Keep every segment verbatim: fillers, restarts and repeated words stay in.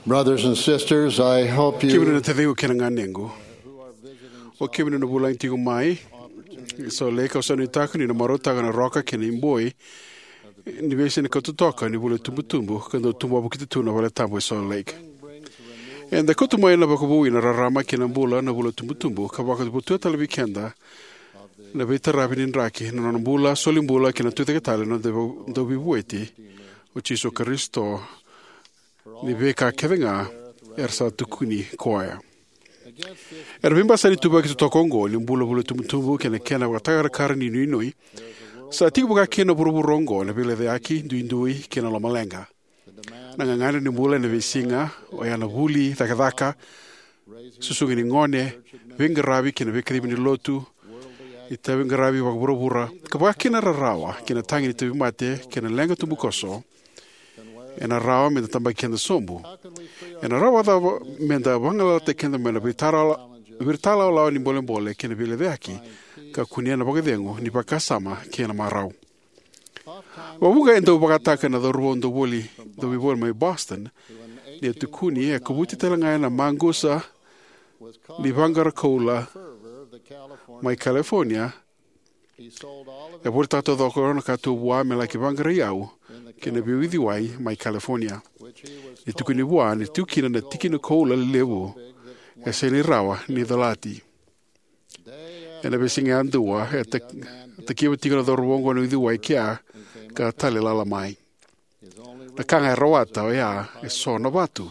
Brothers and sisters, I hope you. Kemuni na taciqu kei na ganequ, o kemuni na vulagi tiko mai Salt Lake, au sa nuitaka ni na marautaka na roka kei na iboi ni veisiga ni kauta toka ni vula itubutubu ka dau tubu wavokita tu na valetabu e Salt Lake. Eda kauta mai na vakavoui na rarama kei na bula na vula itubutubu ka vakavotuya tale vei keda na veitaravi ni draki, na nona bula, solibula kei na tucake tale na noda Dauveivueti, o Jisu Karisito, ni veika kece ga era sa tukuni koya. Ena veibasai ni ituvaki totoka oqo ni bula vula itubutubu kei na kena vakatakarakara ni nuinui, sa tiko vakakina na vuravura oqo na veilecayaki, duidui kei na lomaleqa. Na gagadre ni bula ena veisiga, oya na vuli, cakacaka, susugi ni gone, veiqaravi kei na veikacivi ni lotu, itaviqaravi vakavuravura, ka vakakina na rarawa kei na tagi ni tauvimate kei na leqa tubukoso, ena rawa meda tabaki keda sobu? Ena rawa vakacava meda vagalalataki keda mai na veitara-, veitalalawalawa ni bolebole kei na veilecayaki ka kunea na vakacegu ni vakasama kei na marau? Vakavuqa e dau vakataka na cauravou dau voli, dau veivoli mai Boston, ni a tukuni e kovuti tale ga ena maqusa ni vaqara koula mai California. E volitaka taucoko na ka tu vua me laki vaqara iyau kei na veiuciwai mai California. Ni tukuni vua ni tiko kina na tikina koula lelevu e sega ni rawa ni colati. Ena veisiga yadua e tak-, takiva tiko na cauravou oqo na uciwai kea ka tale lala mai. Na ka ga e rawata oya e so na vatu.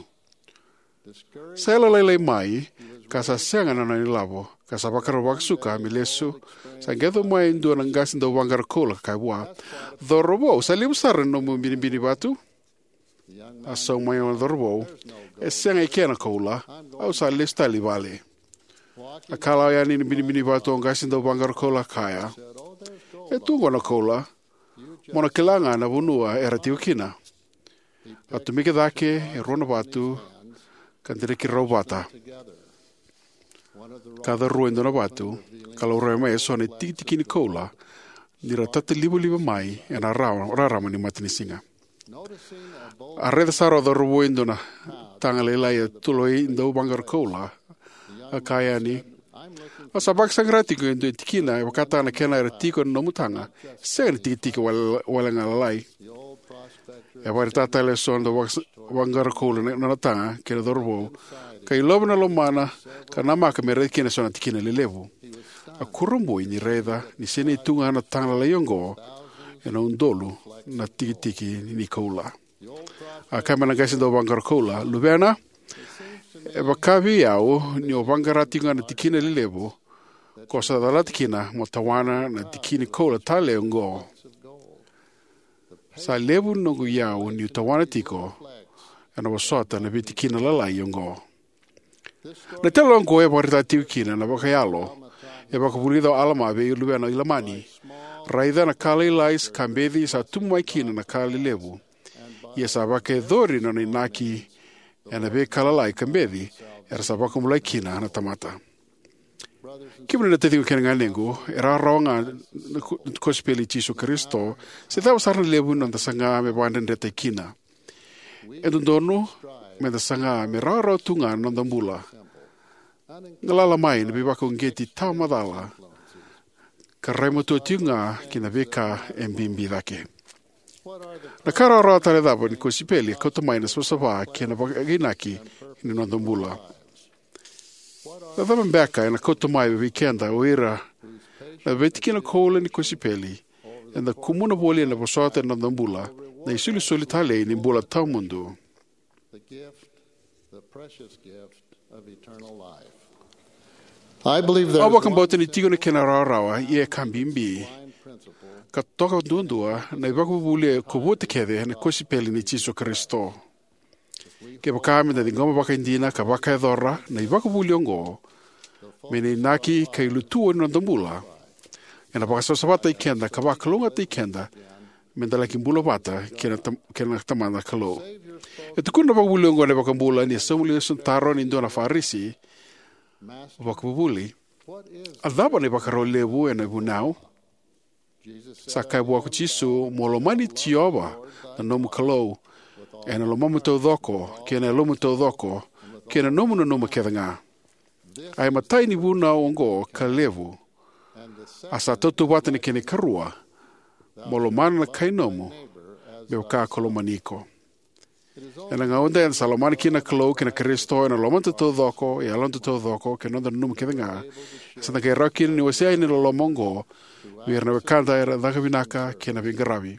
Sa yalolailai mai ka sa sega na nona ilavo, ka sa vakarau vakasuka me lesu. Sa qai yaco mai e dua na qase dau vaqara koula ka kaya vua, "Cauravou, sa levu sara na nomu binibini vatu." A sauma mai na cauravou, "E sega e kena koula, au sa lesu tale i vale." A kalawa yani na binibini vatu o qase dau vaqara koula ka kaya, "E tu oqo na koula, mo na kila ga na vanua era tiko kina." A tomika cake e rua na vatu ka dreki rau vata. Ka carua e dua na vatu ka laurai mai e so na tikitiki ni koula ni ra tatalivaliva mai ena ra-, rarama ni matanisiga. A raica sara o cauravou e dua na taga lailai e toloi dau vaqara koula. A kaya yani, "Au sa vakasaqara tiko e dua tikina e vakataka na kena era tiko ena nomu taga, sega ni tikitiki wale, wale ga lalai." E vakaraitaka tale e so na dau vaqara koula na nona taga kei na cauravou ka ilova na lomana ka namaka me raici kina e so na tikina lelevu. A kurabui ni raica ni sinai tu ga na taga lailai oqo ena udolu na tikitiki ni koula. A kaya mai na qase dau vaqara koula, "Luvena, e vaka vei au ni o vaqara tiko ga na tikina lelevu ko sa calata kina mo tawana na tikini koula tale oqo. Sa levu noqu iyau niu tawana tiko ena vosota na veitikina lalai oqo." Na tale oqo e vakaraitaka tiko kina na vakayalo e vakavulica o Alama vei luvena o Ilamani. Raica na ka lailai ka beci sa tubu mai kina na ka lelevu. Ia sa vakayacori na nona inaki ena veika lalai ka beci era sa vakabulai kina na tamata. Kemuni na taciqu kei na ganequ, e rawarawa ga na ko-, na kosipeli i Jisu Karisito, se cava sara na levu ni noda saga me vakadredretaki kina. E dodonu meda saga me rawarawa tu ga na noda bula. Galala mai na veivakauqeti tawa macala ka rai matua tiko ga ki na veika e bibi cake. Na ka rawarawa tale cava ni kosipeli e kauta mai na savasava kei na vakainaki ni noda bula? Na cava beka ena kauta mai vei keda o ira na veitikina koula ni kosipeli eda kumuna voli ena vosota ena noda bula na isolisoli talei ni bula tawamudu? I believe there Au is vakabauta ni tiko na kena rawarawa, ia e ka bibi ka toka duadua na ivakavuvuli e kovuta kece na kosipeli ni Jisu Karisito. Kevaka meda ciqoma vakaidina ka vakayacora na ivakavuvuli oqo me na inaki ka ilutua ni noda bula, ena vakasavasavataki keda ka vakalougatataki keda meda laki bula vata kei na tam-, kei na Tamada na Kalou. E tukuna na vakavuvuli oqo na iVakabula ni a sauma lesu na taro ni dua na Farisi, "Vakavuvuli, a cava na ivakarau levu ena vunau?" Sa kaya vua ko Jisu, "Mo lomani Jiova na nomu Kalou ena lomamu taucoko, kei na yalomu taucoko, kei na nomu nanuma kece ga. A imatai ni vunau oqo ka levu, a sa tautauvata na kena ikarua: mo lomana na kai nomu me vaka ko lomani iko. Ena gauna eda sa lomana kina na Kalou kei na Karisito ena lomada taucoko, e yaloda taucoko, kei na noda nanuma kece ga, e sa da qai rawa kina ni wasea yani na loloma oqo vei ira na wekada era caka vinaka kei na veiqaravi.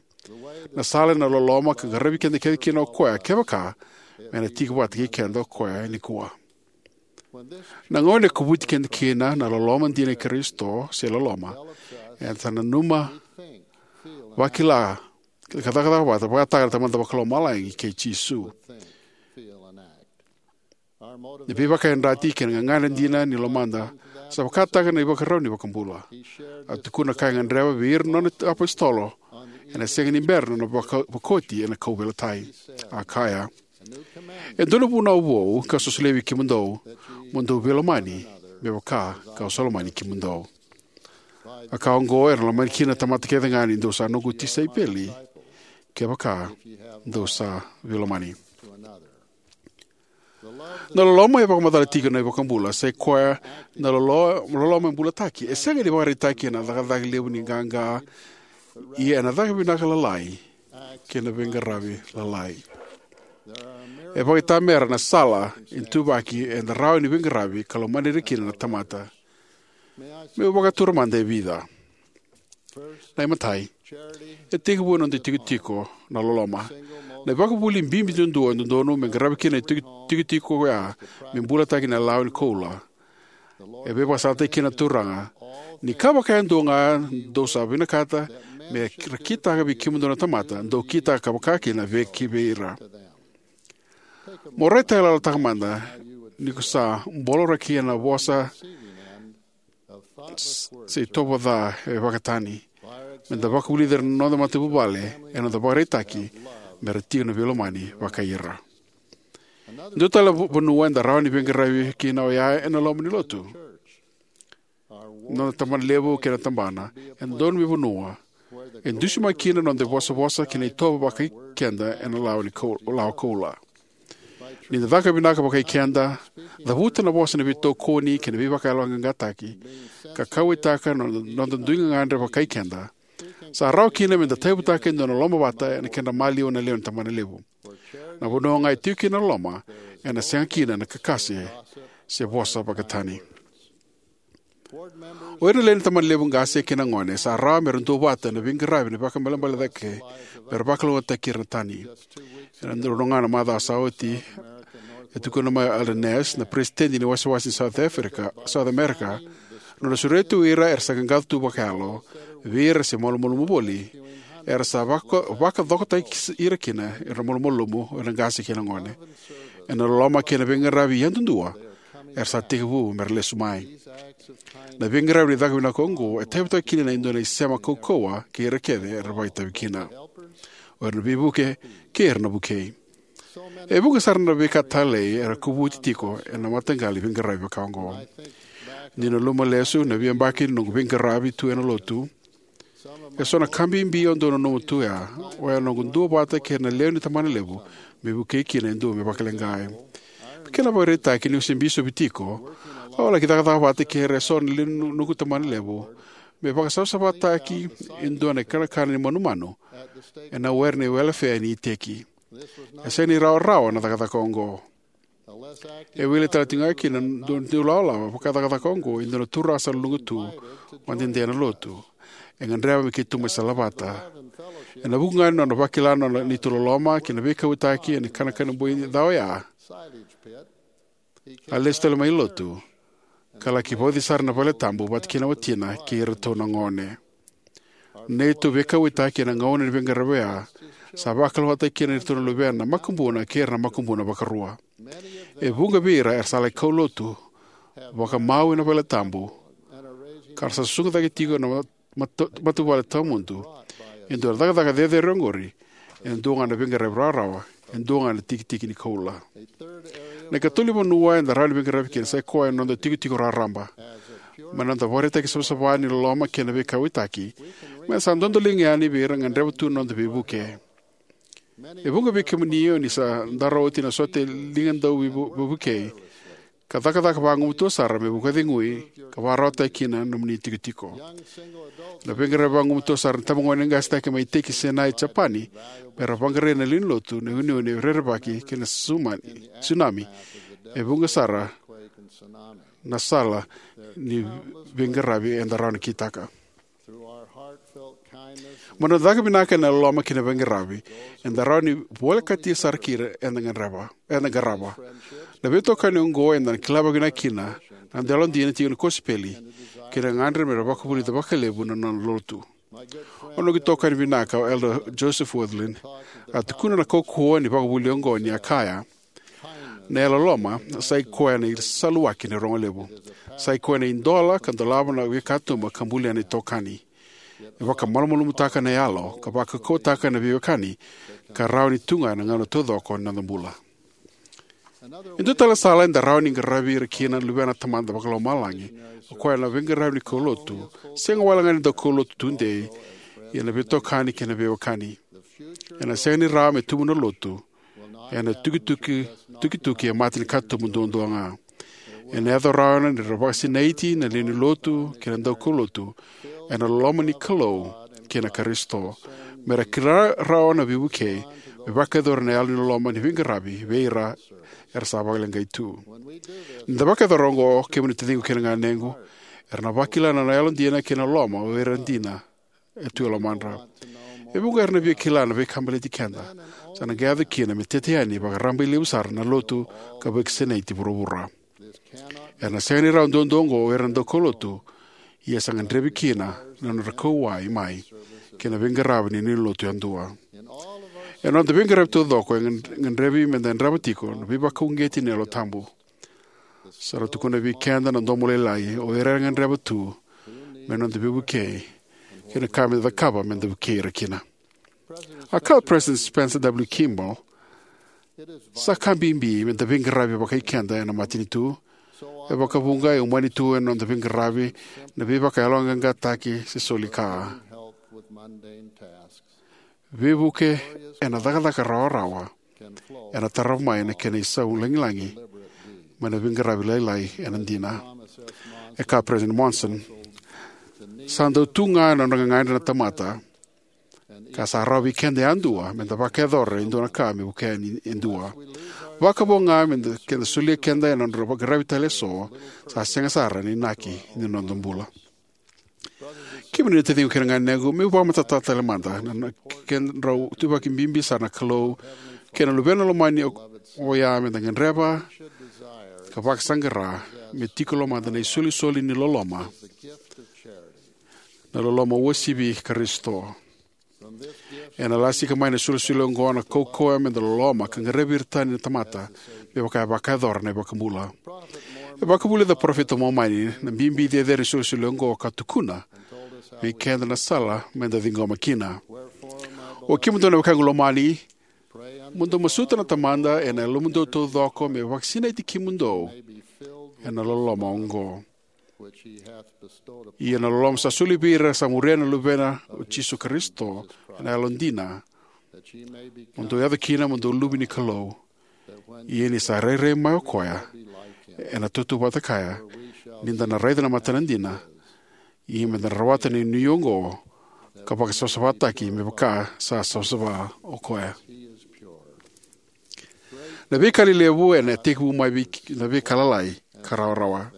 Na sala ena loloma ka qaravi keda kece kina o koya, kevaka me na tiko vata kei keda o koya nikua. Na gauna e kovuti keda kina na loloma dina i Karisito, se loloma, eda sa nanuma, vakila, ka cakacaka vata vakataka na Tamada Vakalomalagi kei Jisu. Na veivakayadrati kei na gagadre dina ni lomada sa vakataka na ivakarau ni iVakabula. A tukuna ka e gadreva vei ira na nona iapositolo ena sega ni bera na nona vaka-, vakaoti ena kauveilatai. A kaya: "E dua na vunau vou kau sa solia vei kemudou, mo dou veilomani me vaka kau sa lomani kemudou." A ka oqo era na lomani kina na tamata kece ga ni dou sa noqu tisaipeli, kevaka dou sa veilomani. Na loloma e vakamacala tiko na iVakabula, sai koya na lolo-, loloma e bulataki. E sega ni vakaraitaki ena cakacaka levu ni qaqa, ia ena caka vinaka lalai kei na veiqaravi lalai. E vakaitamera na sala e tuvaki eda rawa ni veiqaravi ka lomani ira kina na tamata. Meu vakatura mada e vica. Na imatai, e tekivu ena noda itikotiko na loloma. Na ivakavuvuli bibi duadua e dodonu me qaravi kina na tiko-, tikotiko oya me bulataki na lawa ni koula. E veivakasalataki kina na Turaga: "Ni ka vaka e dua ga dou sa vinakata me ra kitaka vei kemudou na tamata, dou kitaka vakakina vei ki vei ira." Mo raitayaloyalotaka mada ni ko sa boloraki ena vosa s-, se itovo ca e vakatani. Meda vakavulica ira na noda matavuvale ena noda vakaraitaki me ra tiko na veilomani vakai ira. Dua tale na vanua eda rawa ni veiqaravi kina oya ena loma ni lotu. Noda tabanalevu kei na tabana e dodonu me vanua e dusimaki kina na noda ivosavosa kei na itovo vakai keda ena lawa ni kou-, lawa koula. Ni da caka vinaka vakai keda, cavuta na vosa ni veitokoni kei na veivakayaloqaqataki, ka kauwaitaka na noda, noda dui gagadre vakai keda, sa rawa kina meda tauyavutaka e dua na lomavata ena kedra maliwa na lewe ni tabanalevu. Na vanua ga e tiko kina na loloma, ena sega kina na kakase se vosa vakatani. O ira na lewe ni tabanalevu qase kei na gone sa rawa me ra duavata ena veiqaravi ni vakaibalebale cake me ra vakalougatataki ira na tani. Ena dua ga na macawa sa oti, e tukuna mai o Elder Ness, na peresitedi ni wasewase ni South Africa, South America, na nona sureti tu ira era sa qaqaco tu vakayalo vei ira se malumalumu voli, era sa vaka-, vakacokotaki ira kina era malumalumu, era qase kei na gone, ena loloma kei na veiqaravi yadudua era sa tekivu me ra lesu mai. Na veiqaravi ni caka vinaka oqo e tauyavutaka kina e dua na isema kaukauwa kei ira kece era vakaitavi kina, o ira na veivuke kei ira na vukei. E vuqa sara na veika talei era kovuti tiko ena mataqali veiqaravi vaka oqo. Niu nanuma lesu na veiyabaki ni noqu veiqaravi tu ena lotu, e so na ka bibi au dau nanuma tu ya, oya na noqu duavata kei ira na lewe ni tabanalevu me vukei kina e dua me vakaleqai. Me kena ivakaraitaki, niu se bisopi tiko, au a laki cakacaka vata kei ira e so na lewe ni noqu tabanalevu me vakasavasavataki e dua na ikanakana ni manumanu ena were ni welefea ni iteki. E sega ni rawarawa na cakacaka oqo. E wili tale tiko ga kina na dua na ilawalawa vaka cakacaka oqo e dua na turaga sa luluqa tu, vakadede ena lotu. E gadreva me keitou mai salavata. Ena vuku ga ni nona vakila na nona neitou loloma kei na veikauwaitaki ena ikanakana boi ca oya, a lesu tale mai lotu, ka laki vauci sara ena valetabu vata kei na watina kei iratou na gone. Neitou veikauwaitaki ena gauna ni veiqaravi oya sa vakalougatataki kina iratou na luvena makubuna kei ira na makubuna vakarua. E vuqa vei ira era sa lai kaulotu vakamau ena valetabu, ka ra sa susuga cake tiko na mata-, matavuvale tawamudu. E dua na cakacaka cecere oqori, e dua ga na veiqaravi rawarawa, e dua ga na tikitiki ni koula. Na ikatolu ni vanua eda rawa ni veiqaravi kina sai koya na noda tikotiko raraba. Mai na noda ivakaraitaki savasava ni loloma kei na veikauwaitaki, me sa dodoliga yani vei ira e gadreva tu na noda veivuke. E vuqa vei kemuni o ni sa dara oti na sote ligadau veivukei ka cakacaka vagumatua sara me vakacegui ka vakarautaki kina na nomuni itikotiko. Na veiqaravi vagumatua sara na itabagone qase cake mai Teiki Senai, Japani, me ra vaqarai na lewe ni Lotu na uneune, rerevaki kei na tsunami e vuqa sara na sala ni veiqaravi eda rawa ni kitaka. Mai na noda caka vinaka ena loloma kei na veiqaravi, eda rawa ni volekati sara kina eda qarava. Na veitokani oqo eda na kila vakavinaka kina na noda yalodina, tiko ni kosipeli, kei na gagadre me ra vakavulica vakalevu na nona Lotu. O noqu itokani vinaka, o Elder Joseph Wirthlin, a tukuna na kaukauwa ni vakavuvuli oqo ni a kaya: Na yalololoma sa i koya na isaluwaki ni rogo levu. Sa i koya na idola ka dolava na veikatuba ka bulia na itokani. E vakamalumalumutaka na yalo ka vakaukauwataka na veiwekani ka rawa ni tu ga ena gauna taucoko ni noda bula. E dua tale na sala eda rawa ni qaravi ira kina na luvena na Tamada Vakalomalagi, o koya na veiqaravi ni kaulotu, sega wale ga ni daukaulotu tudei, ia na veitokani kei na veiwekani. Ena sega ni rawa me tubu na Lotu ena tukituki, tukituki e mata ni katuba duadua ga. Ena yaco rawa ni ra vakasinaiti na lewe ni Lotu kei na daukaulotu ena loloma ni Kalou kei na Karisito, me ra kila rawa na veivukei, me vakayacora na yalo ni loloma ni veiqaravi vei ira era sa vakaleqai tu. Ni da vakayacora oqo, kemuni taciqu kei na ganequ, era na vakila na yalodina kei na loloma o ira dina e tu e lomadra. E vuqa era na via kila na veika baleti keda. Sa na qai yaco kina me tete yani vakarabailevu sara na Lotu ka vakasinaiti vuravura. Era na sega ni rawa duadua oqo o ira na daukaulotu, ia sa gadrevi kina na nodra kauwai mai kei na veiqaravi ni lewe ni Lotu yadua. Ena noda veiqaravi taucoko, e gad-, gadrevi meda yadrava tiko na veivakauqeti ni Yalo Tabu. Sa ra tukuna vei keda na domo lailai, o ira era gadreva tu me noda veivukei, kei na ka meda cakava meda vukei ira kina. A kaya o President Spencer W. Kimball: Sa ka bibi meda veiqaravi vakai keda ena matanitu. E vakavuqa e umani tu ena noda veiqaravi na veivakayaloqaqataki se soli ka. Veivuke ena cakacaka rawarawa ena tarava mai na kena isau lagilagi mai na veiqaravi lailai ena dina. E kaya o President Monson: Sa dau tu ga na nodra gagadre na tamata, ka sa rawa vei keda yadua meda vakayacora e dua na ka me vukea ni e dua. Vakavo ga meda, keda solia keda ena nodra veiqaravi tale eso, sa sega sara na inaki ni noda bula. Kemuni na taciqu kei na ganequ, meu vakamatatataka tale mada na, na kedrau tuvaki bibi sara na Kalou kei na Luvena Lomani o, oya meda gadreva ka vakasaqara me tiko e lomada na isolisoli ni loloma, na loloma uasivi i Karisito. Ena lasika mai na isolisoli oqo na kaukauwa meda loloma ka qaravi ira tani na tamata, me vaka e vakayacora na iVakabula. E vakavulica o parofita Momani na bibi cecere ni isolisoli oqo ka tukuna vei keda na sala meda ciqoma kina. Oi kemudou na wekaqu lomani, mo dou masuta na Tamada ena yalomudou taucoko me vakasinaiti kemudou ena loloma oqo. Ia na loloma sa soli vei ira sa muria na Luvena o Jisu Karisito ena yalodina, mo dou yaco kina mo dou luve ni Kalou. Ia ni sa rairai mai o koya ena tautauvata kaya, ni da na raica na matana dina, ia meda na rawata na inuinui oqo ka vakasavasavataki me vaka sa savasava o koya. Na veika lelevu ena tekivu mai vei na veika lalai ka rawarawa.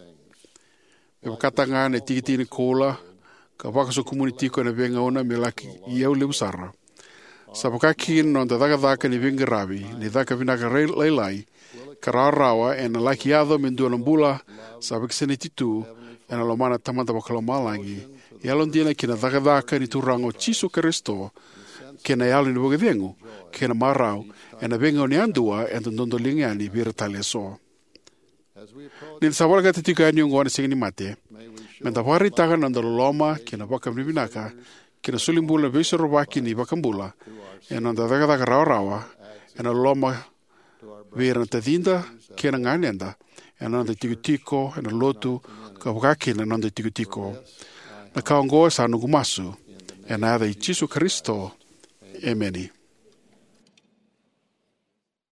Me vakataka ga na tikitiki ni koula ka vakasokumuni tiko ena veigauna me laki iyau levu sara, sa vaka kina na noda cakacaka ni veiqaravi ni caka vinaka rai-, lailai ka rawarawa ena laki yaco me dua na bula sa vakasinaiti tu ena lomana na Tamada Vakalomalagi, yalodina ki na cakacaka ni Turaga o Jisu Karisito, kei na yalo ni vakacegu kei na marau ena veigauna yadua eda dodoliga yani vei ira tale eso. Ni da sa volekata tiko yani oqo na Siga ni Mate, meda vakaraitaka na noda loloma kei na vakavinavinaka kei na solibula na Veisorovaki ni iVakabula ena noda cakacaka rawarawa ena loloma vei ira na tacida kei na ganeda, ena noda itikotiko ena lotu, ka vaka kina na noda itikotiko. Na ka oqo sa noqu masu ena yaca i Jisu Karisito. Emeni.